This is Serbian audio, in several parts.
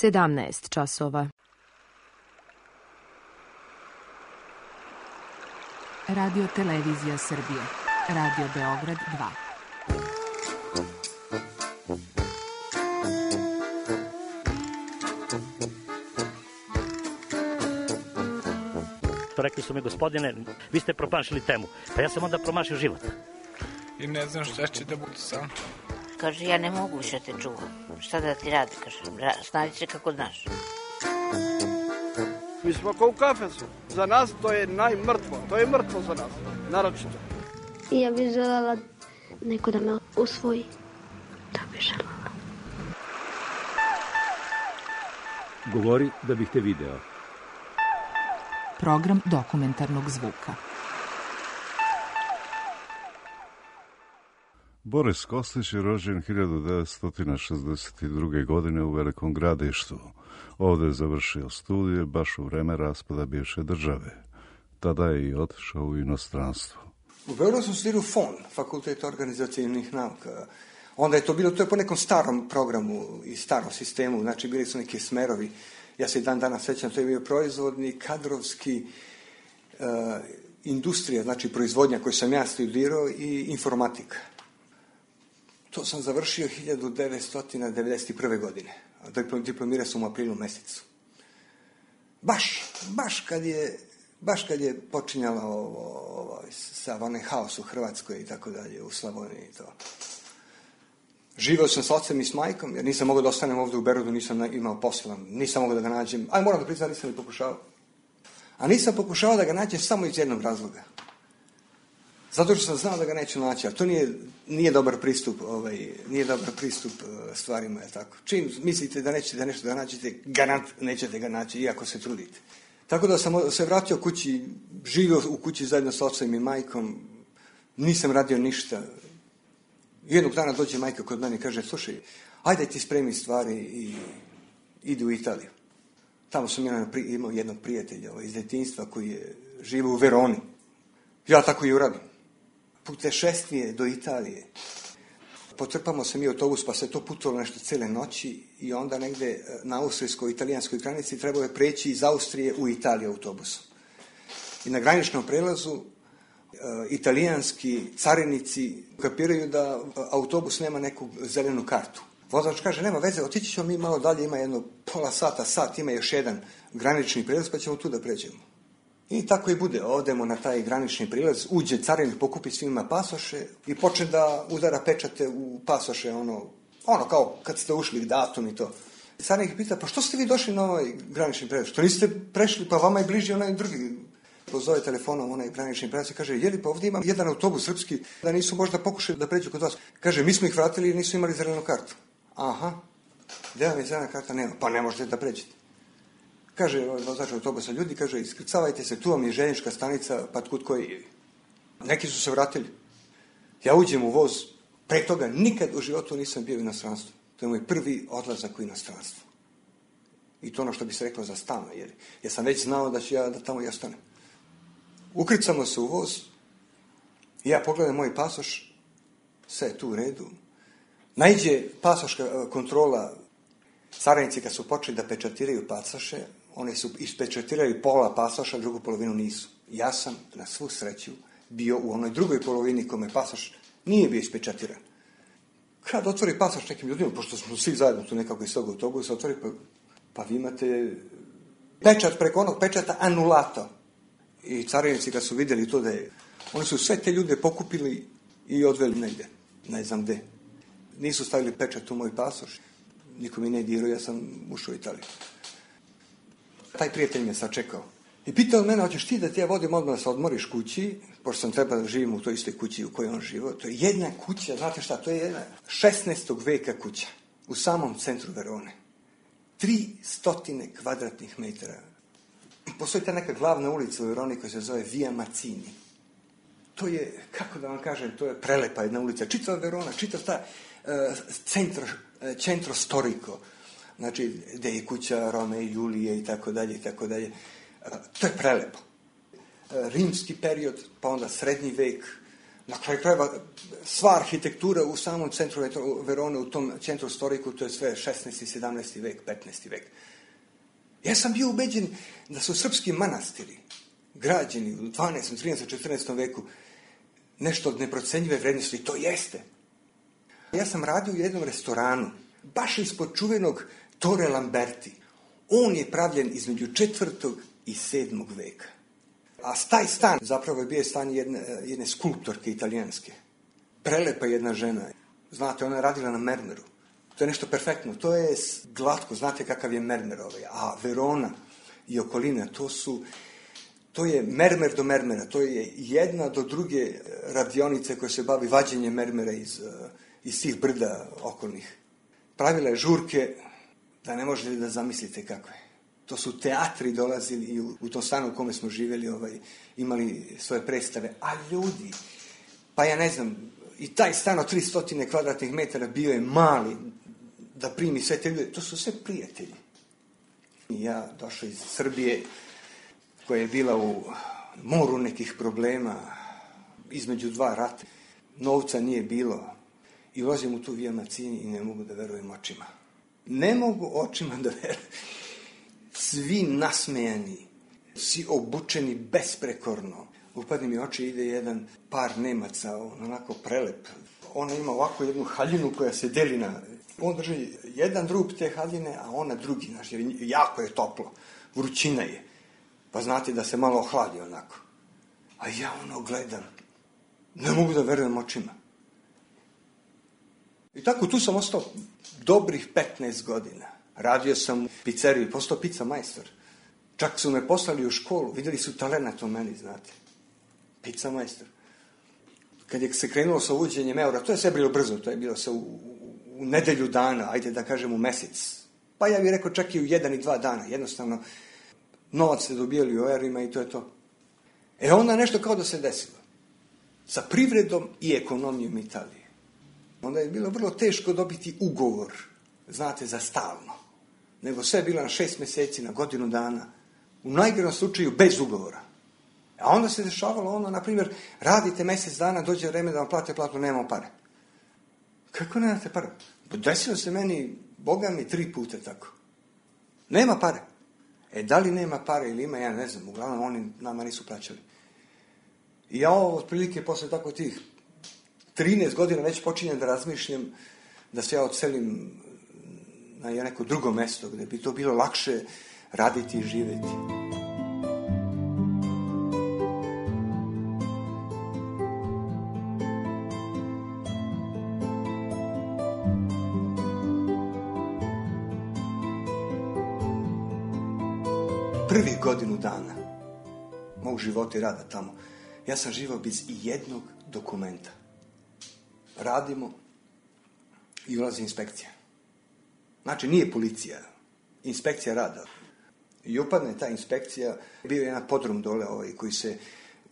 17 časova. Radio Televizija Srbije. Radio Beograd 2. Rekli su mi, gospodine, vi ste promašili temu. Pa ja sam onda promašio život. I ne znam šta će da bude sam. Kaže, ja ne mogu više te čuvam. Šta da ti radi? Kaže, snađi se kako znaš. Mi smo kao u kafesu. Za nas to je najmrtvo. To je mrtvo za nas. Naročito. I ja bih željela neko da me usvoji. Da bih željela. Govori da bih te video. Program dokumentarnog zvuka. Boris Kostić je rođen 1962. godine u Velikom Gradištu. Ovdje je završio studije baš u vreme raspada bivše države. Tada je i otišao u inostranstvo. U Beogradu sam studirao FON, Fakultet organizacijnih nauka. Onda je to bilo, to je po nekom starom programu i starom sistemu, znači bili su neki smerovi. Ja se i dan danas sećam, to je bio proizvodni, kadrovski, industrija, znači proizvodnja koju sam ja studirao i informatika. To sam završio 1991. godine. Diplomirao sam u aprilu mesecu. Baš kad je počinjalo sav onaj haos u Hrvatskoj i tako dalje, u Slavoniji i to. Živeo sam s ocem i s majkom, jer nisam mogao da ostanem ovdje u Berodu, nisam imao posla, nisam mogao da ga nađem. Aj, moram da priznam, nisam ni pokušao. A nisam pokušao da ga nađem samo iz jednog razloga. Zato što sam znao da ga neću naći, a to nije dobar pristup, nije dobar pristup stvarima, je tako. Čim mislite da nećete nešto da nađete, garant nećete ga naći, iako se trudite. Tako da sam se vratio kući, živio u kući zajedno s ocem i majkom, nisam radio ništa. Jednog dana dođe majka kod mene i kaže, slušaj, ajde ti spremi stvari i idi u Italiju. Tamo sam imao jednog prijatelja iz detinjstva koji je živio u Veroni. Ja tako i uradim. Putešestvije do Italije. Potrpamo se mi autobus, pa se to putovalo nešto cele noći i onda negde na austrijsko-italijanskoj granici trebalo je preći iz Austrije u Italiju autobusom. I na graničnom prelazu italijanski carinici kapiraju da autobus nema neku zelenu kartu. Vozač kaže, nema veze, otići ćemo mi malo dalje, ima jedno pola sata, sat, ima još jedan granični prilaz, pa ćemo tu da pređemo. I tako i bude, odemo na taj granični prilaz, uđe carinik, pokupi svima pasoše i počne da udara pečate u pasoše, ono kao kad ste ušli, datum i to. Carinik pita, pa što ste vi došli na ovaj granični prilaz? Što niste prešli, pa vama je bliži onaj drugi. Pozove telefonom onaj granični prelac i kaže, jeli pa ovdje imam jedan autobus srpski, da nisu možda pokušali da pređu kod vas. Kaže, mi smo ih vratili i nisu imali zelenu kartu. Aha, gdje vam je zelena karta? Nema. Pa ne možete da pređete. Kaže vozač autobusa, ljudi, kaže, iskrcavajte se, tu vam je željeznička stanica, pa kud koji je. Neki su se vratili. Ja uđem u voz, pre toga nikad u životu nisam bio u inostranstvu. To je moj prvi odlazak u inostranstvo. I to ono što bi se reklo za stan, jer ja sam već znao da ću ja da tamo i ostanem. Ukrcamo se u voz, ja pogledam moj pasoš, sve je tu u redu. Naiđe pasoška kontrola, carinici kad su počeli da pečatiraju pasoše, oni su ispečatirali pola pasoša, drugu polovinu nisu. Ja sam, na svu sreću, bio u onoj drugoj polovini kome pasoš nije bio ispečatiran. Kad otvori pasoš nekim ljudima, pošto smo svi zajedno tu nekako iz tog autobusa, otvori, pa vi imate pečat preko onog pečata anulato. I carinici kad su vidjeli to da je, oni su sve te ljude pokupili i odveli negdje, ne znam gde. Nisu stavili pečat u moj pasoš, niko mi ne dirao, ja sam ušao u Italiju. Taj prijatelj me sačekao i pitao mene, hoćeš ti da ti ja vodim odmah da se odmoriš kući, pošto sam trebao da živim u toj istoj kući u kojoj on živio. To je jedna kuća, znate šta, to je jedna 16. veka kuća u samom centru Verone. 300 kvadratnih metara. Postoji ta neka glavna ulica u Veroni koja se zove Via Mazzini. To je, kako da vam kažem, to je prelepa jedna ulica. Čitava Verona, čitav ta centro storico. Znači, gde je kuća Rome i Julije i tako dalje, i tako dalje. To je prelepo. Rimski period, pa onda srednji vek. Na kraju krajeva, sva arhitektura u samom centru Verone, u tom centru storiku, to je sve 16. 17. vek, 15. vek. Ja sam bio ubeđen da su srpski manastiri građeni u 12. 13. 14. veku nešto od neprocenjive vrednosti. To jeste. Ja sam radio u jednom restoranu, baš ispod čuvenog Tore Lamberti. On je pravljen između 4. i 7. veka. A taj stan zapravo je bio stan jedne skulptorke italijanske. Prelepa jedna žena. Znate, ona je radila na mermeru. To je nešto perfektno. To je glatko. Znate kakav je mermer ovaj. A Verona i okolina, to je mermer do mermera. To je jedna do druge radionice koja se bavi vađenjem mermera iz tih brda okolnih. Pravila je žurke da ne možete da zamislite kako je. To su teatri dolazili i u tom stanu u kome smo živjeli, imali svoje predstave. A ljudi, pa ja ne znam, i taj stan od 300 kvadratnih metara bio je mali da primi sve te ljude. To su sve prijatelji. Ja došao iz Srbije, koja je bila u moru nekih problema, između dva rata. Novca nije bilo. I ulazim u tu Via Mazzini i ne mogu da verujem očima. Ne mogu očima da verujem. Svi nasmejani, svi obučeni besprekorno. Upadne mi oči, ide jedan par Nemaca, onako prelep. Ona ima ovako jednu haljinu koja se deli na... On drži jedan drug te haljine, a ona drugi. Znaš, jer jako je toplo, vrućina je. Pa znate da se malo ohladi onako. A ja gledam. Ne mogu da verujem očima. I tako tu sam ostao dobrih 15 godina. Radio sam u pizzeriji, postao pizza majstor. Čak su me poslali u školu, vidjeli su talenat u meni, znate. Pizza majstor. Kad je se krenulo sa uvođenjem eura, to je sve bilo brzo, to je bilo se u nedelju dana, ajde da kažem u mesec. Pa ja bih rekao čak i u 1 i 2 dana. Jednostavno, novac se dobijali u eurima i to je to. Onda nešto kao da se desilo. Sa privredom i ekonomijom Italije. Onda je bilo vrlo teško dobiti ugovor, znate, za stalno. Nego sve je bilo na 6 mjeseci, na godinu dana. U najgorom slučaju bez ugovora. A onda se dešavalo na primjer, radite mjesec dana, dođe vreme da vam plate platu, nemamo pare. Kako nemate pare? Desilo se meni, Boga mi, 3 puta tako. Nema pare. Da li nema pare ili ima, ja ne znam. Uglavnom, oni nama nisu plaćali. I ja otprilike posle tako tih 13 godina već počinjem da razmišljam da se ja odselim na neko drugo mesto gdje bi to bilo lakše raditi i živjeti. Prvih godinu dana mog života i rada tamo, ja sam živao bez jednog dokumenta. Radimo i ulazi inspekcija. Znači, nije policija, inspekcija rada. I upadne ta inspekcija, bio je jedan podrum dole koji se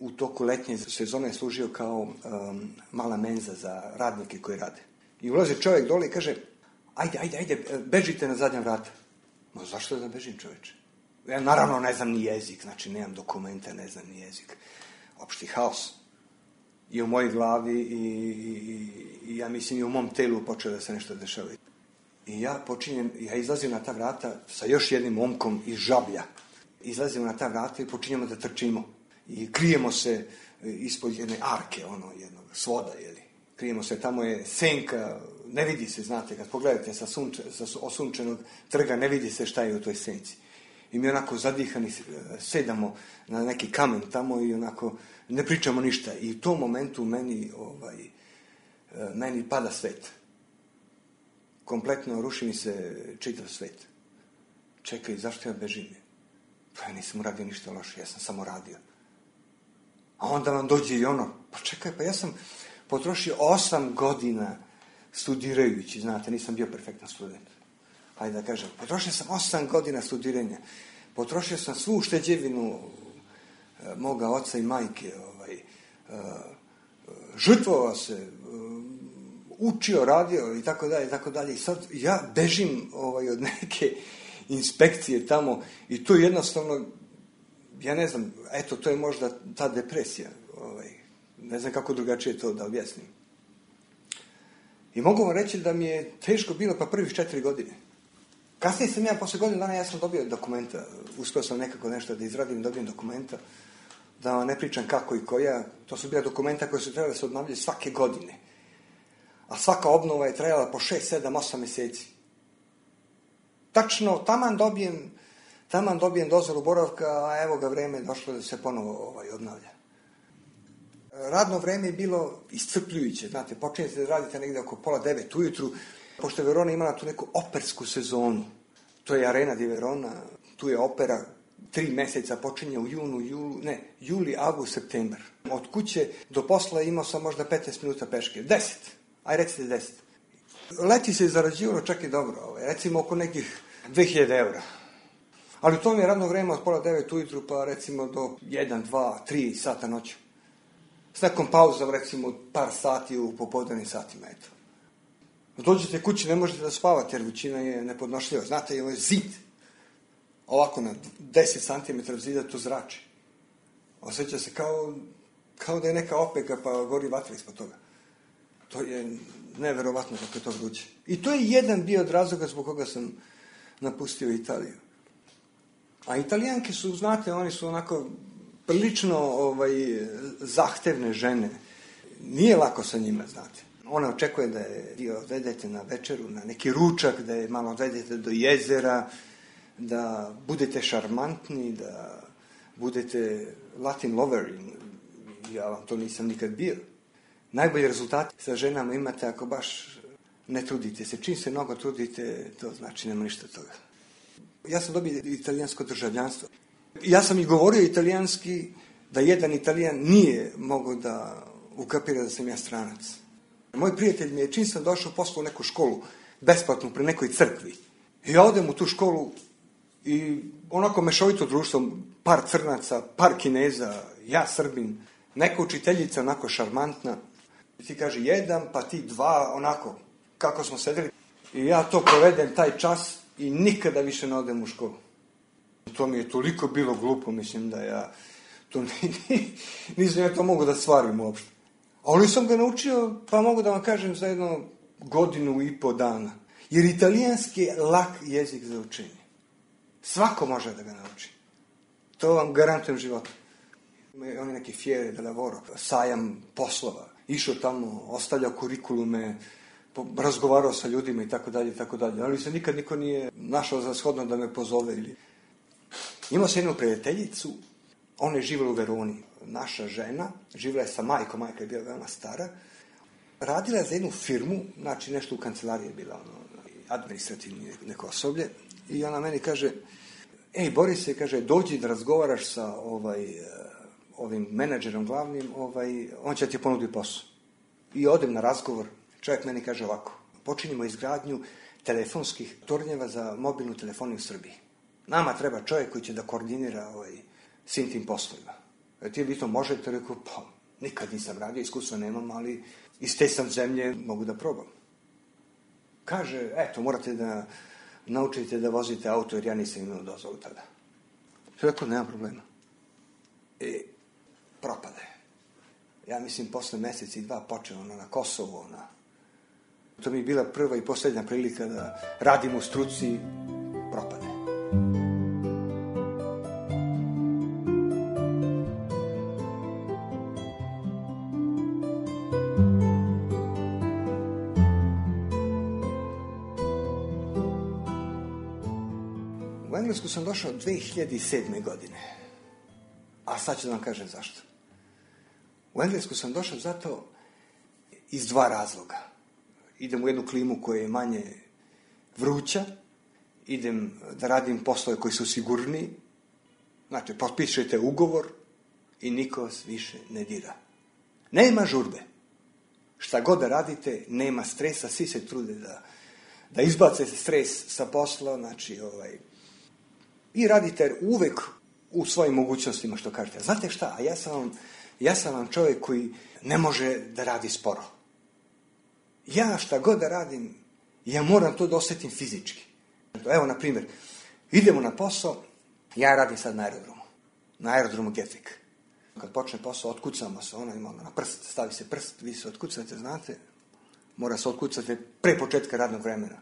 u toku letnje sezone služio kao mala menza za radnike koji rade. I ulazi čovjek dole i kaže, ajde, bežite na zadnja vrata. Ma zašto da bežim, čovječe? Ja naravno ne znam ni jezik, znači nemam dokumenta, ne znam ni jezik. Opšti haos. I u mojoj glavi i ja mislim i u mom telu počeo da se nešto dešava. I ja izlazim na ta vrata sa još jednim momkom iz Žablja. Izlazimo na ta vrata i počinjemo da trčimo. I krijemo se ispod jedne arke, jednog svoda, jeli. Krijemo se, tamo je senka, ne vidi se, znate, kad pogledate sa osunčenog trga, ne vidi se šta je u toj senci. I mi onako zadihani sedamo na neki kamen tamo i onako ne pričamo ništa. I u tom momentu meni pada svet. Kompletno ruši mi se čitav svet. Čekaj, zašto ja bežim? Pa ja nisam uradio ništa loše, ja sam samo radio. A onda vam dođe i pa čekaj, pa ja sam potrošio 8 godina studirajući, znate, nisam bio perfektan student. Hajde da kažem, potrošio sam 8 godina studiranja, potrošio sam svu ušteđevinu moga oca i majke, žrtvovao se, učio, radio i tako dalje. I sad ja bežim od neke inspekcije tamo i to jednostavno, ja ne znam, eto, to je možda ta depresija Ne znam kako drugačije to da objasnim. I mogu vam reći da mi je teško bilo pa prvih 4 godine. Kasnije sam ja, posle godinu dana, ja sam dobio dokumenta. Uspio sam nekako nešto da izradim, dobijem dokumenta. Da vam ne pričam kako i koja. To su bila dokumenta koje su trebali da se obnavljaju svake godine. A svaka obnova je trajala po 6, 7, 8 meseci. Tačno, taman dobijem dozvolu boravka, a evo ga vreme došlo da se ponovo obnavlja. Radno vreme je bilo iscrpljujuće, znate, počinjete da radite negde oko 8:30 ujutru, pošto je Verona imala tu neku opersku sezonu. To je Arena di Verona, tu je opera, 3 meseca počinje u juli, avgust, septembar. Od kuće do posla imao sam možda 15 minuta peške, 10, aj recite 10. Leti se zarađivalo čak i dobro, recimo oko nekih 2000 eura. Ali to mi je radno vreme od 8:30 ujutru pa recimo do 1, 2, 3 sata noću. S nekom pauzom recimo par sati u popodnevnim satima, eto. Dođete kući, ne možete da spavate jer vrućina je nepodnošljiva. Znate, je zid. Ovako na 10 cm zida to zrači. Osjeća se kao da je neka opeka pa gori vatra ispod toga. To je neverovatno kako je to vruće. I to je jedan bio od razloga zbog koga sam napustio Italiju. A Italijanke su, znate, oni su onako prilično zahtevne žene. Nije lako sa njima, znate. Ona očekuje da je odvedete na večeru, na neki ručak, da je malo odvedete do jezera, da budete šarmantni, da budete Latin lover. Ja vam to nisam nikad bio. Najbolji rezultat sa ženama imate ako baš ne trudite se. Čim se mnogo trudite, to znači nema ništa toga. Ja sam dobio italijansko državljanstvo. Ja sam i govorio italijanski da jedan Italijan nije mogao da ukapira da sam ja stranac. Moj prijatelj mi je, čim sam došao, poslao u neku školu, besplatnu, pri nekoj crkvi. I ja odem u tu školu i onako mešovito društvo, par crnaca, par Kineza, ja Srbin, neka učiteljica onako šarmantna. Ti kaže 1, pa ti 2, onako, kako smo sedeli. I ja to provedem taj čas i nikada više ne odem u školu. To mi je toliko bilo glupo, mislim da ja to nisam ja to mogu da stvarim uopšte. Ali sam ga naučio, pa mogu da vam kažem, za 1,5 godinu dana. Jer italijanski je lak jezik za učenje. Svako može da ga nauči. To vam garantujem životu. On je neki fiere de lavoro, sajam poslova. Išao tamo, ostavljao kurikulume, razgovarao sa ljudima i tako dalje, tako dalje. Ali se nikad niko nije našao za shodno da me pozove. Imao sam jednu prijateljicu, ona je živjela u Veroni. Naša žena, živjela je sa majkom, majka je bila veoma stara, radila je za jednu firmu, znači nešto u kancelariji je bila, administrativni neko osoblje, i ona meni kaže, Borise, kaže, dođi da razgovaraš sa ovim menadžerom glavnim, on će ti ponuditi posao. I odem na razgovor, čovjek meni kaže ovako, počinjemo izgradnju telefonskih tornjeva za mobilnu telefoniju u Srbiji. Nama treba čovjek koji će da koordinira svim tim poslovima. Ti li to možete? Rekao, pa nikad nisam radio, iskustva nemam, ali iz te sam zemlje mogu da probam. Kaže, eto, morate da naučite da vozite auto, jer ja nisam imao dozvolu tada. Rekao, nema problema. Propade. Ja mislim, posle mesec i 2 počeo na Kosovo. To mi je bila prva i posljednja prilika da radim u struci, propade. U Englesku sam došao 2007. godine. A sad ću da vam kažem zašto. U Englesku sam došao zato iz 2 razloga. Idem u jednu klimu koja je manje vruća, idem da radim poslove koji su sigurniji, znači potpišete ugovor i niko vas više ne dira. Nema žurbe. Šta god da radite, nema stresa, svi se trude da izbace stres sa posla, znači i radite uvek u svojim mogućnostima, što kažete. Znate šta, ja sam vam čovjek koji ne može da radi sporo. Ja šta god da radim, ja moram to da osjetim fizički. Evo, na primjer, idemo na posao, ja radim sad na aerodromu Gatwick. Kad počne posao, otkucamo se, ona ima na prst, stavi se prst, vi se otkucate, znate, mora se otkucati pre početka radnog vremena.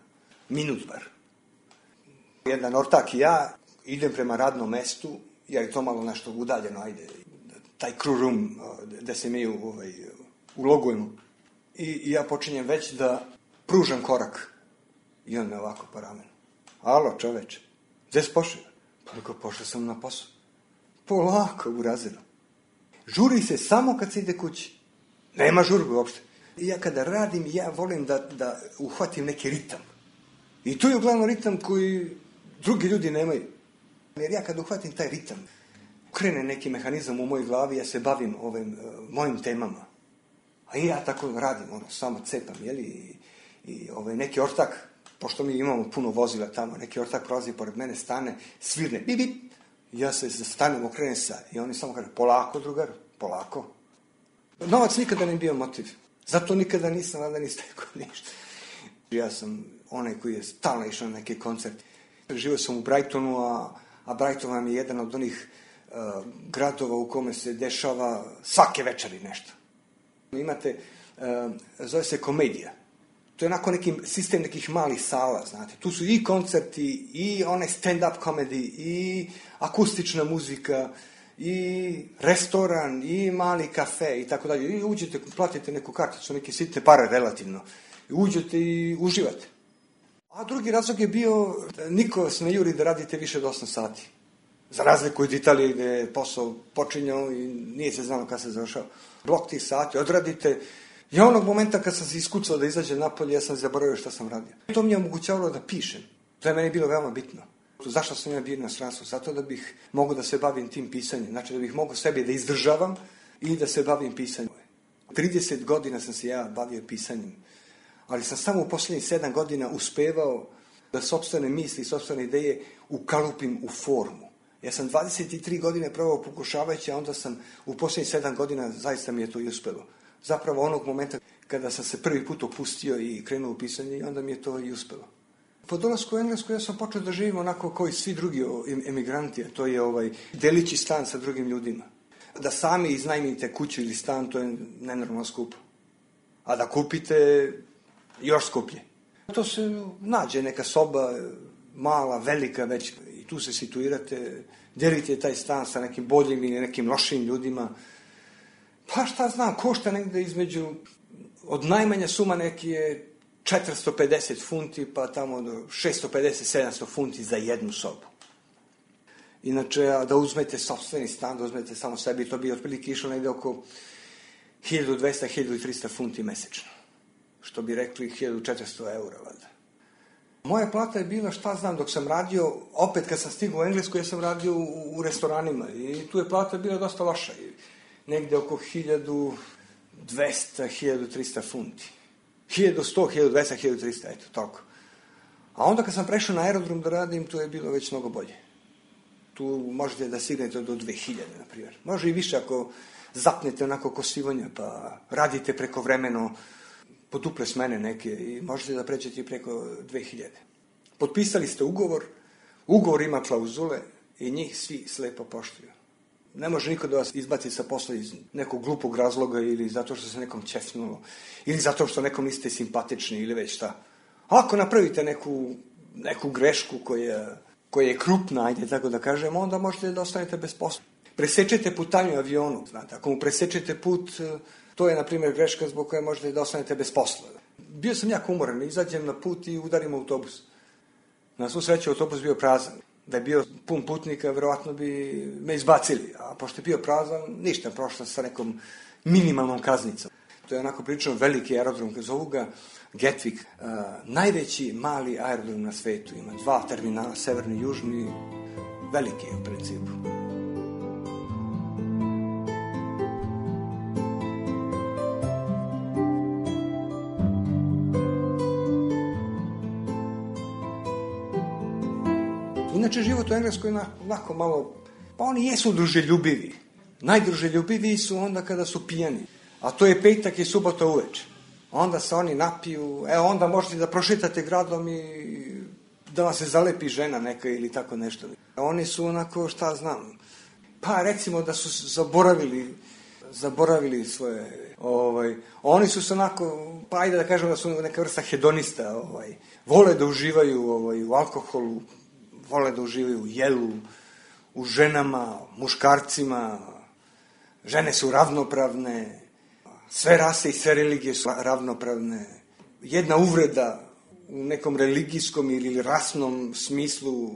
Minut bar. Jedan ortak i ja idem prema radnom mestu, jer je to malo nešto udaljeno, ajde, taj crew room gde se mi ulogujemo. I ja počinjem već da pružam korak. I on me ovako po ramenu. Alo, čoveče, gde si pošao? Pa rekao, pošao sam na posao. Polako, urazilo. Žuri se samo kad se ide kući. Nema žurbe uopšte. I ja kada radim, ja volim da uhvatim neki ritam. I to je uglavnom ritam koji drugi ljudi nemaju. Jer ja kada uhvatim taj ritam, krene neki mehanizam u mojoj glavi, ja se bavim ovim mojim temama. A i ja tako radim, samo cepam, jeli? I neki ortak, pošto mi imamo puno vozila tamo, neki ortak prolazi pored mene, stane, svirne, bip, bip. Ja se stanem, okrenem se i oni samo kažu, polako, drugar, polako. Novac nikada ne bio motiv. Zato nikada nisam, valjda ni stekao ništa. Ja sam onaj koji je stalno išao na neke koncerte. Živio sam u Brightonu, a Brighton vam je jedan od onih gradova u kome se dešava svake večeri nešto. Imate, zove se komedija. To je onako neki sistem nekih malih sala, znate. Tu su i koncerti, i one stand-up komediji, i akustična muzika, i restoran, i mali kafe, i tako dalje. I uđete, platite neku karticu, neke sitne pare relativno. I uđete i uživate. A drugi razlog je bio, niko vas ne juri da radite više od 8 sati. Za razliku od Italije gde je posao počinjao i nije se znalo kada se završao. Blok tih sati odradite. I onog momenta kad sam se iskucao da izađem napolje, ja sam zaboravio šta sam radio. To mi je omogućavalo da pišem. To je meni bilo veoma bitno. Zašto sam ja bio na inostranstvu? Zato da bih mogao da se bavim tim pisanjem. Znači da bih mogao sebe da izdržavam i da se bavim pisanjem. 30 godina sam se ja bavio pisanjem. Ali sam samo u poslednjih 7 godina uspevao da sopstvene misli, sopstvene ideje ukalupim u formu. Ja sam 23 godine probao pokušavajući, a onda sam u poslednjih 7 godina zaista mi je to i uspelo. Zapravo onog momenta kada sam se prvi put opustio i krenuo u pisanje, onda mi je to i uspelo. Po dolasku u Englesku ja sam počeo da živim onako kao i svi drugi emigranti, a to je delići stan sa drugim ljudima. Da sami iznajmite kuću ili stan, to je nenormalno skupo. A da kupite, još skuplje. To se nađe neka soba, mala, velika već, i tu se situirate, delite taj stan sa nekim boljim ili nekim lošim ljudima. Pa šta znam, košta negde između, od najmanja suma neki je 450 funti, pa tamo do 650-700 funti za jednu sobu. Inače, da uzmete sopstveni stan, da uzmete samo sebi, to bi otprilike išlo negde oko 1200-1300 funti mesečno. Što bi rekli 1400 eura, valjda. Moja plata je bila, šta znam, dok sam radio, opet kad sam stigao u Englesku, ja sam radio u restoranima i tu je plata bila dosta loša. Negde oko 1200-1300 funti. 1100, 1200, 1300, eto, toliko. A onda kad sam prešao na aerodrom da radim, to je bilo već mnogo bolje. Tu možete da stignete do 2000, na primjer. Može i više ako zapnete onako ko sivonja, pa radite preko vremeno, po duple smene neke i možete da pređete i preko 2000. Potpisali ste ugovor, ugovor ima klauzule i njih svi slepo poštuju. Ne može niko da vas izbaci sa posla iz nekog glupog razloga ili zato što se nekom ćefnulo, ili zato što nekom niste simpatični ili već šta. Ako napravite neku grešku koja je krupna, ajde tako da kažem, onda možete da ostanete bez posla. Presečete putanju avionu, znate, ako mu presečete put, to je, na primjer, greška zbog koje možete da ostanete bez posla. Bio sam jako umoran, izađem na put i udarim autobus. Na svu sreću autobus bio prazan. Da je bio pun putnika, verovatno bi me izbacili. A pošto je bio prazan, ništa, prošla sa nekom minimalnom kaznicom. To je onako prilično veliki aerodrom, kad zovu ga Gatwick. Najveći mali aerodrom na svetu. Ima 2 terminala, severni i južni, veliki u principu. Inače, život u Engleskoj je onako malo, pa oni jesu druželjubivi. Najdruželjubiviji su onda kada su pijani. A to je petak i subota uveče. Onda se oni napiju, onda možete da prošetate gradom i da vam se zalepi žena neka ili tako nešto. Oni su onako, šta znam, Pa recimo da su zaboravili svoje, oni su se onako, pa ajde da kažemo da su neka vrsta hedonista, vole da uživaju u alkoholu, vole da uživaju u jelu, u ženama, muškarcima, žene su ravnopravne, sve rase i sve religije su ravnopravne. Jedna uvreda u nekom religijskom ili rasnom smislu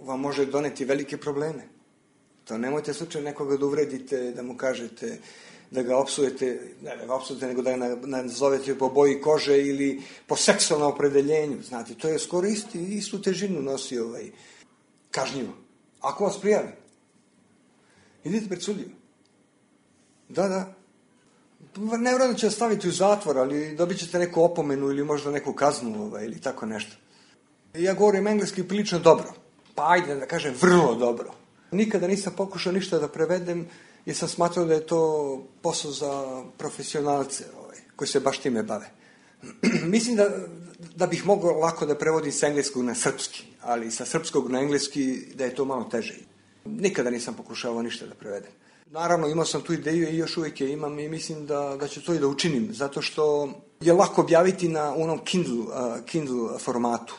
vam može doneti velike probleme. To nemojte slučajno nekoga da uvredite, da mu kažete, da ga opsujete, ne da ga opsujete, nego da ga nazovete po boji kože ili po seksualnom opredeljenju. Znate, to je skoro istu težinu nosi kažnjivo. Ako vas prijavi, idite pred sudiju. Da. Nevjerojatno će vas staviti u zatvor, ali dobit ćete neku opomenu ili možda neku kaznu ili tako nešto. Ja govorim engleski prilično dobro. Pa ajde da kažem vrlo dobro. Nikada nisam pokušao ništa da prevedem jer sam smatrao da je to posao za profesionalce koji se baš time bave. Mislim da bih mogao lako da prevodim sa engleskog na srpski, ali sa srpskog na engleski da je to malo teže. Nikada nisam pokušavao ništa da prevedem. Naravno, imao sam tu ideju i još uvijek je imam i mislim da ću to i da učinim, zato što je lako objaviti na onom Kindle formatu.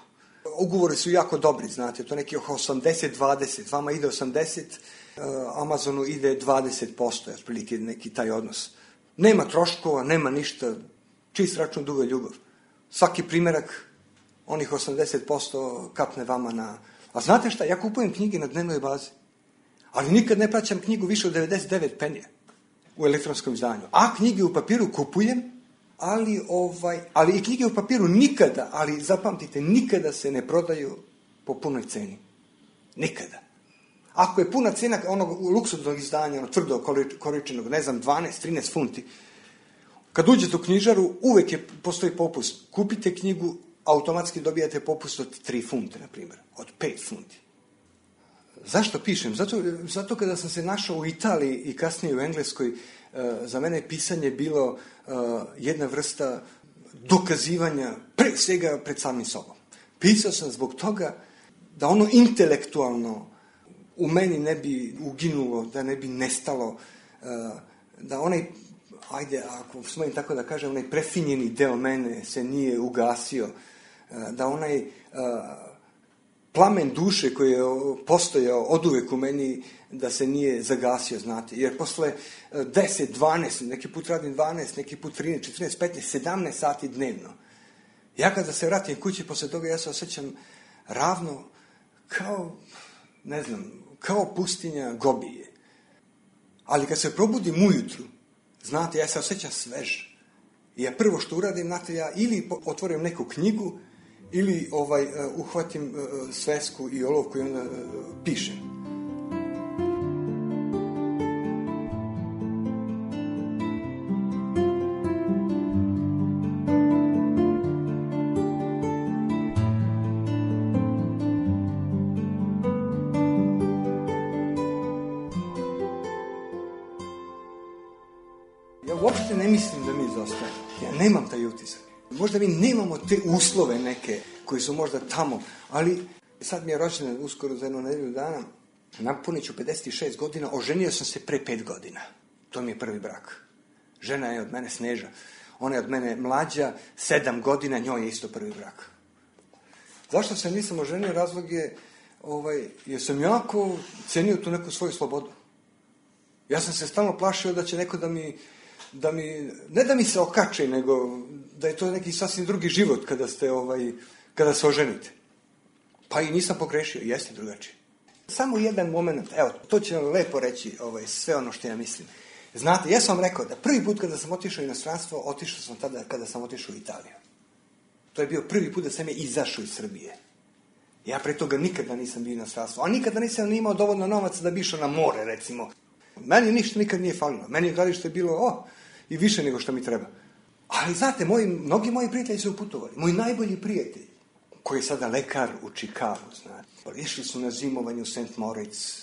Ugovori su jako dobri, znate, to neki 80-20, vama ide 80, Amazonu ide 20%, otprilike neki taj odnos. Nema troškova, nema ništa, čist račun, duga ljubav. Svaki primjerak, onih 80% kapne vama na... A znate šta, ja kupujem knjige na dnevnoj bazi, ali nikad ne plaćam knjigu više od 99 penija u elektronskom izdanju. A knjige u papiru kupujem, ali i knjige u papiru nikada, ali zapamtite, nikada se ne prodaju po punoj ceni. Nikada. Ako je puna cena onog luksuznog izdanja, ono tvrdo koričenog, ne znam, 12-13 funti, kad uđete u knjižaru, uvek postoji popust. Kupite knjigu, automatski dobijate popust od 3 funte, na primjer, od 5 funti. Zašto pišem? Zato kada sam se našao u Italiji i kasnije u Engleskoj, za mene je pisanje bilo jedna vrsta dokazivanja, pre svega pred samim sobom. Pisao sam zbog toga da ono intelektualno u meni ne bi uginulo, da ne bi nestalo, da onaj, ajde, ako smijem tako da kažem, onaj prefinjeni deo mene se nije ugasio, da onaj plamen duše koji je postojao oduvek u meni, da se nije zagasio, znate. Jer posle 10, 12, neki put radim 12, neki put 13, 14, 15, 17 sati dnevno. Ja kada se vratim kući posle toga, ja se osjećam ravno kao, ne znam, kao pustinja Gobije. Ali kad se probudim ujutru, znate, ja se osjećam svež. I ja prvo što uradim, znate, ja ili otvorim neku knjigu, ili uhvatim svesku i olovku i onda pišem. Ja uopšte ne mislim da mi izostajemo. Ja nemam taj utisak. Možda mi nemamo te uslove neke koji su možda tamo, ali sad mi je rođendan uskoro za jednu nedelju dana, napunit ću 56 godina, oženio sam se pre 5 godina. To mi je prvi brak. Žena je od mene Sneža. Ona je od mene mlađa, 7 godina, njoj je isto prvi brak. Zašto se nisam oženio? Razlog je, jer sam jako cenio tu neku svoju slobodu. Ja sam se stalno plašio da će neko ne da mi se okače, nego da je to neki sasvim drugi život kada se oženite. Pa i nisam pogrešio, jeste drugačije. Samo jedan moment, evo, to će vam lepo reći sve ono što ja mislim. Znate, ja sam vam rekao da prvi put kada sam otišao u inostranstvo, otišao sam tada kada sam otišao u Italiju. To je bio prvi put da sam je izašao iz Srbije. Ja pre toga nikada nisam bio u inostranstvu, a nikada nisam imao dovoljno novaca da bi išao na more, recimo. Meni ništa nikad nije falilo. Meni je gledalište bilo i više nego što mi treba. Ali znate, mnogi moji prijatelji su putovali. Moj najbolji prijatelj, koji je sada lekar u Čikagu, znate. Išli su na zimovanje u St. Moritz,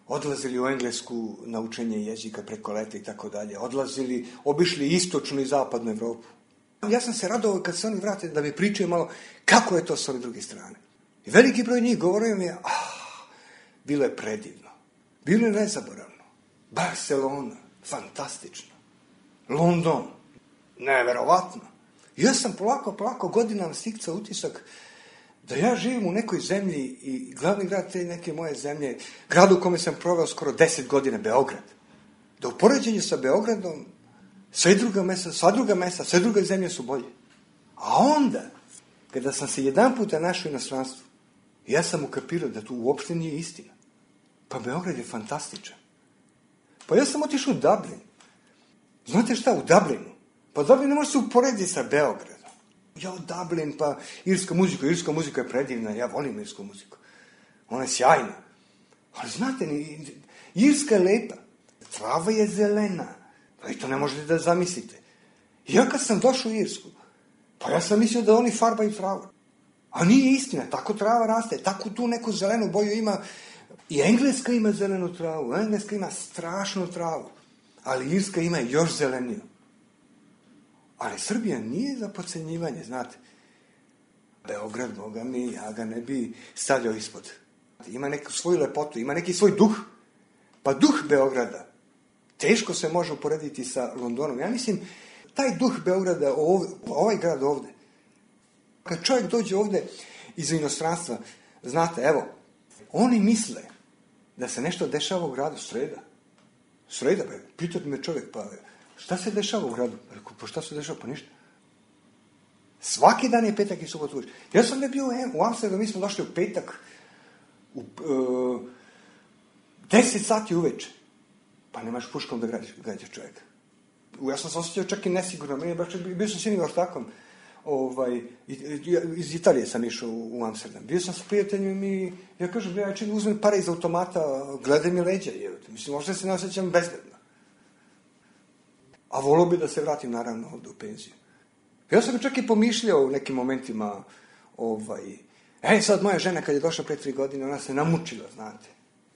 odlazili u Englesku na učenje jezika preko leta i tako dalje. Obišli istočnu i zapadnu Evropu. Ja sam se radovao kad se oni vrate da mi pričaju malo kako je to s ove druge strane. I veliki broj njih govorio mi je, bilo je predivno. Bilo je nezaboravno. Barcelona, fantastično. London, neverovatno. Ja sam polako godinama stikcao utisak da ja živim u nekoj zemlji i glavni grad te neke moje zemlje, grad u kome sam proveo skoro 10 godina, Beograd. Da u poređenju sa Beogradom sve druge zemlje su bolje. A onda, kada sam se jedan puta našao u inostranstvu, ja sam ukapirao da to uopšte nije istina. Pa Beograd je fantastičan. Pa ja sam otišao u Dublin. Znate šta, u Dublinu? Pa Dublin ne može se uporediti sa Beogradom. Ja, Dublin, pa irska muzika je predivna, ja volim irsku muziku. Ona je sjajna. Ali znate, Irska je lepa. Trava je zelena. Pa i to ne možete da zamislite. Ja kad sam došao u Irsku, pa ja sam mislio da oni farbaju travu. A nije istina, tako trava raste, tako tu neku zelenu boju ima. I Engleska ima zelenu travu, Engleska ima strašnu travu. Ali Irska ima još zeleniju. Ali Srbija nije za podcenjivanje, znate. Beograd, Boga mi, ja ga ne bi stavljao ispod. Ima neku svoju lepotu, ima neki svoj duh. Pa duh Beograda teško se može uporediti sa Londonom. Ja mislim, taj duh Beograda, ovaj grad ovde, kad čovjek dođe ovde iz inostranstva, znate, evo, oni misle da se nešto dešava u gradu sreda, pitate me čovjek, pa šta se dešava u gradu? Pa šta se dešava? Pa ništa. Svaki dan je petak i subot uveče. Ja sam bio u Amsterdamu, mi smo došli u petak u 10 sati uveče. Pa nemaš puškom da gađaš čovjeka. Ja sam se osjećao čak i nesigurno. Bio sam s jednim ortakom. Iz Italije sam išao u Amsterdam. Bio sam s prijateljima i ja kažem, ja uzmem pare iz automata, gledaj mi leđa. Mislim, možda se ne osjećam bezbedno. A volio bi da se vratim, naravno, ovde u penziju. Ja sam čak i pomišljao u nekim momentima, sad moja žena kad je došla pre 3 godine, ona se namučila, znate.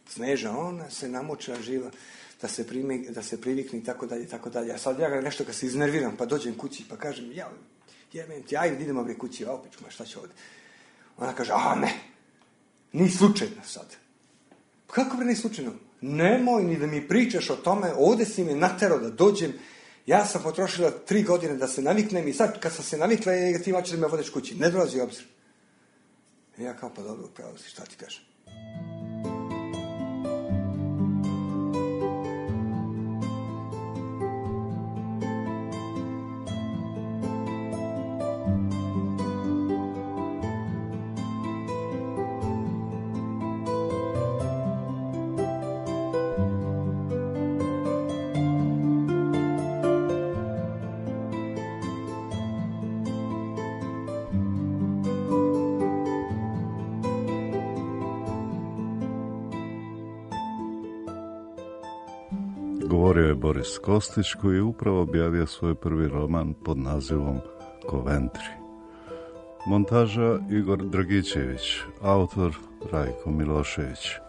Sneža, ona se namučila živa, da se privikne i tako dalje. A sad ja nešto kad se iznerviram, pa dođem kući, pa kažem, jebem ti, ajde, idemo bre kući, opet, šta će ovde? Ona kaže, ne, ni slučajno sad. Kako bre ni slučajno? Nemoj ni da mi pričaš o tome, ovde si me naterao da dođem, ja sam potrošila 3 godine da se naviknem i sad kad sam se navikla, ti hoćeš da me vodeš kući. Ne dolazi u obzir. I ja kao, pa dobro, upravo si, šta ti kažem? Govorio je Boris Kostić, koji je upravo objavio svoj prvi roman pod nazivom Koventri. Montaža Igor Dragićević, autor Rajko Milošević.